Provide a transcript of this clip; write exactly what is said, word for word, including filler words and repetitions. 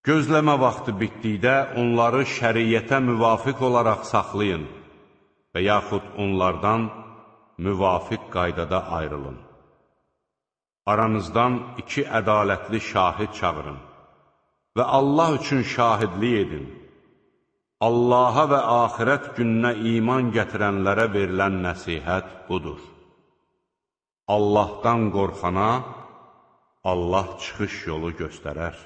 Gözləmə vaxtı bitdikdə onları şəriyyətə müvafiq olaraq saxlayın və yaxud onlardan müvafiq qaydada ayrılın. Aranızdan iki ədalətli şahid çağırın və Allah üçün şahidlik edin. Allaha və axirət gününə iman gətirənlərə verilən nəsihət budur. Allahdan qorxana Allah çıxış yolu göstərər.